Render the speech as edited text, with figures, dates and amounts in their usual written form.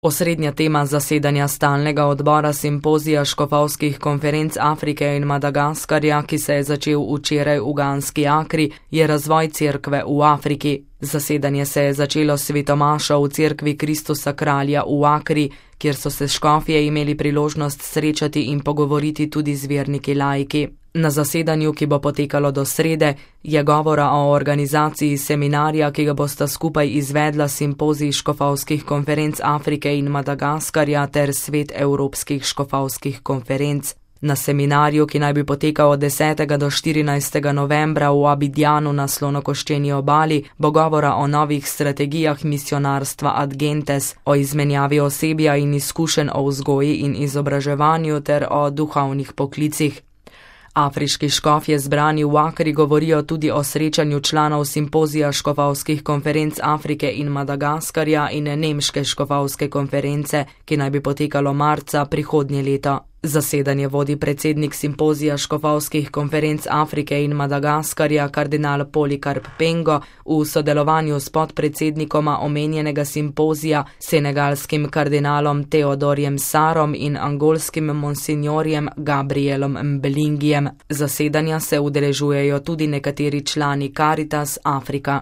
Osrednja tema zasedanja stalnega odbora simpozija škofovskih konferenc Afrike in Madagaskarja, ki se je začel včeraj v Ganski Akri, je razvoj cerkve v Afriki. Zasedanje se je začelo s svetomašo v cerkvi Kristusa kralja v Akri, kjer so se škofje imeli priložnost srečati in pogovoriti tudi z verniki laiki. Na zasedanju, ki bo potekalo do srede, je govora o organizaciji seminarja, ki ga bosta skupaj izvedla simpozij škofovskih konferenc Afrike in Madagaskarja ter svet evropskih škofovskih konferenc. Na seminarju, ki naj bi potekal od 10. do 14. novembra v Abidjanu na Slonokoščeni obali, bo govora o novih strategijah misionarstva Ad Gentes, o izmenjavi osebja in izkušenj o vzgoji in izobraževanju ter o duhovnih poklicih. Afriški škofje zbrani v Akri govorijo tudi o srečanju članov simpozija škofovskih konferenc Afrike in Madagaskarja in nemške škofovske konference, ki naj bi potekalo marca prihodnje leto. Zasedanje vodi predsednik simpozija škofovskih konferenc Afrike in Madagaskarja kardinal Polikarp Pengo v sodelovanju s podpredsednikoma omenjenega simpozija, senegalskim kardinalom Teodorjem Sarom in angolskim monsinjorjem Gabrielom Mbelingijem. Zasedanja se udeležujejo tudi nekateri člani Caritas Afrika.